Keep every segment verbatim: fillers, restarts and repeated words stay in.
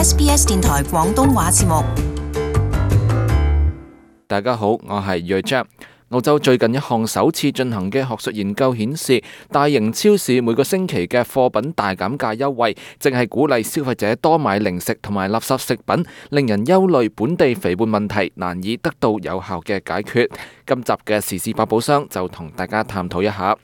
S B S 電台廣東話節目。大家好，我係睿章。澳洲最近一項首次進行嘅學術研究顯示，大型超市每個星期嘅貨品大減價優惠，正係鼓勵消費者多買零食同埋垃圾食品，令人憂慮本地肥胖問題難以得到有效嘅解決。今集嘅時事百寶箱就同大家探討一下。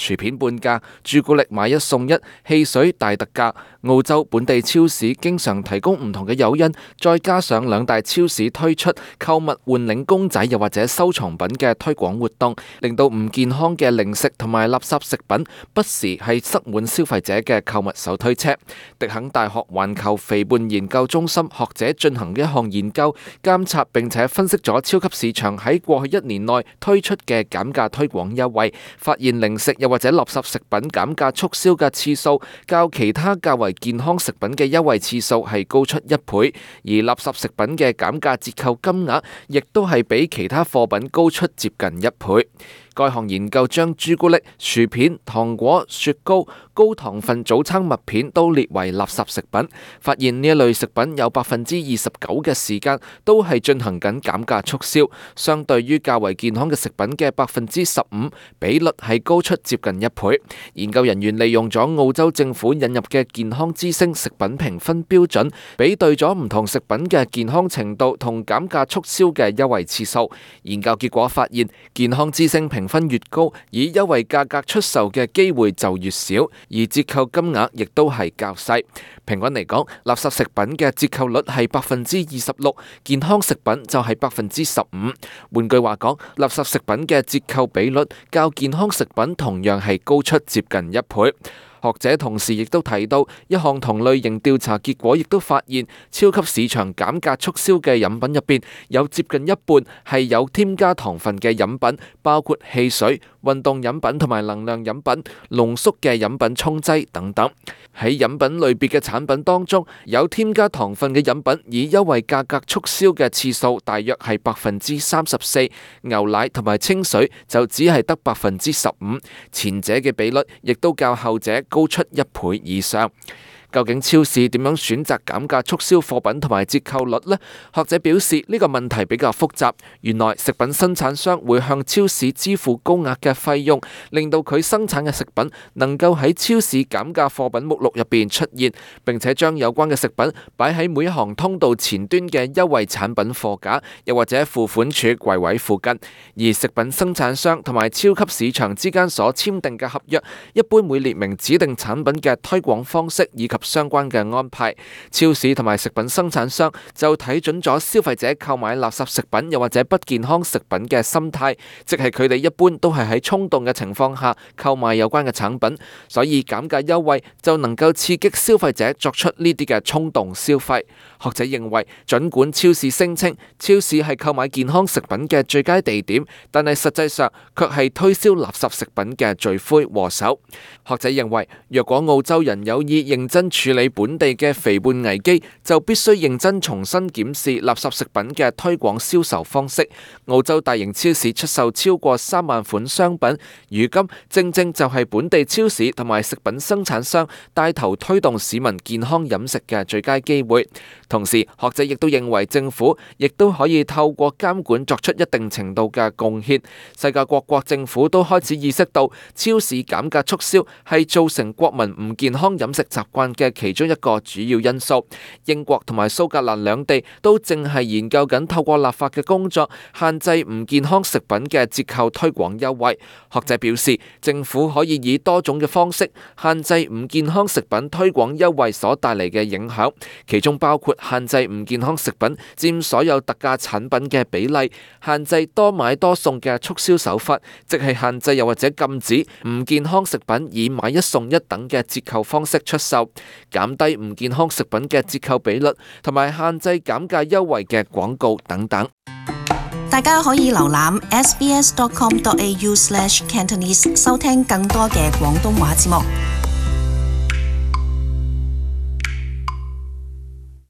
薯片半價，朱古力買一送一，汽水大特價。澳洲本地超市經常提供唔同嘅誘因，再加上兩大超市推出購物換領公仔又或者收藏品嘅推廣活動，令到唔健康嘅零食同埋垃圾食品不時係塞滿消費者嘅購物手推車。迪肯大學環球肥胖研究中心學者進行嘅一項研究，監察並且分析咗超級市場喺過去一年內推出嘅減價推廣優惠，發現零食又或者垃圾食品減價促銷嘅次數，較其他較為健康食品嘅優惠次數係高出一倍，而垃圾食品嘅減價折扣金額亦都係比其他貨品高出接近一倍。該項研究將朱古力、薯片、糖果、雪糕、高糖分早餐麥片都列為垃圾食品，發現呢一類食品有百分之二十九嘅時間都係進行緊減價促銷，相對於較為健康嘅食品嘅百分之十五，比率係高出接近一倍。研究人員利用咗澳洲政府引入嘅健康之星食品評分標準，比對咗唔同食品嘅健康程度同減價促銷嘅優惠次數。研究結果發現，健康之星評分越高，以優惠價格出售嘅機會就越少，而折扣金額亦都係較細。平均嚟講，垃圾食品嘅折扣率係百分之二十六，健康食品就係百分之十五。換句話講，垃圾食品嘅折扣比率較健康食品同樣係高出接近一倍。學者同時亦都提到，一項同類型調查結果亦都發現，超級市場減價促銷嘅飲品入邊有接近一半係有添加糖分嘅飲品，包括汽水、運動飲品同埋能量飲品、濃縮嘅飲品沖劑等等。喺飲品類別嘅產品當中，有添加糖分嘅飲品以優惠價格促銷嘅次數大約係百分之三十四，牛奶同埋清水就只係得百分之十五，前者嘅比率亦都較後者高出一倍以上。究竟超市點樣選擇減價促銷貨品同埋折扣率呢？學者表示呢個問題比較複雜。原來食品生產商會向超市支付高額嘅費用，令到佢生產嘅食品能夠喺超市減價貨品目錄入邊出現，並且將有關嘅食品擺喺每一行通道前端嘅優惠產品貨架，又或者付款處櫃位附近。而食品生產商同埋超級市場之間所簽訂嘅合約，一般會列明指定產品嘅推廣方式以及相關嘅安排。超市同埋食品生產商就睇準咗消費者購買垃圾食品又或者不健康食品嘅心態，即係佢哋一般都係喺衝動嘅情況下購買有關嘅產品，所以減價優惠就能夠刺激消費者作出呢啲嘅衝動消費。學者認為，儘管超市聲稱超市係購買健康食品嘅最佳地點，但係實際上卻係推銷垃圾食品嘅罪魁禍首。學者認為，若果澳洲人有意認真處理本地嘅肥胖危機，就必須認真重新檢視垃圾食品嘅推廣銷售方式。澳洲大型超市出售超過三萬款商品，如今正正就係本地超市同埋食品生產商帶頭推動市民健康飲食嘅最佳機會。同時，學者亦都認為政府亦都可以透過監管作出一定程度嘅貢獻。世界各國政府都開始意識到，超市減價促銷係造成國民唔健康飲食習慣嘅其中一個主要因素。英國同埋蘇格蘭兩地都正係研究緊透過立法嘅工作，限制唔健康食品嘅折扣推廣優惠。學者表示，政府可以以多種嘅方式限制唔健康食品推廣優惠所帶嚟嘅影響，其中包括限制唔健康食品佔所有特價產品嘅比例，限制多買多送嘅促銷手法，即係限制又或者禁止唔健康食品以買一送一等嘅折扣方式出售，減低唔健康食品嘅折扣比率，同埋限制減價優惠嘅廣告等等。大家可以瀏覽 s b s dot com dot a u slash cantonese 收聽更多嘅廣東話節目。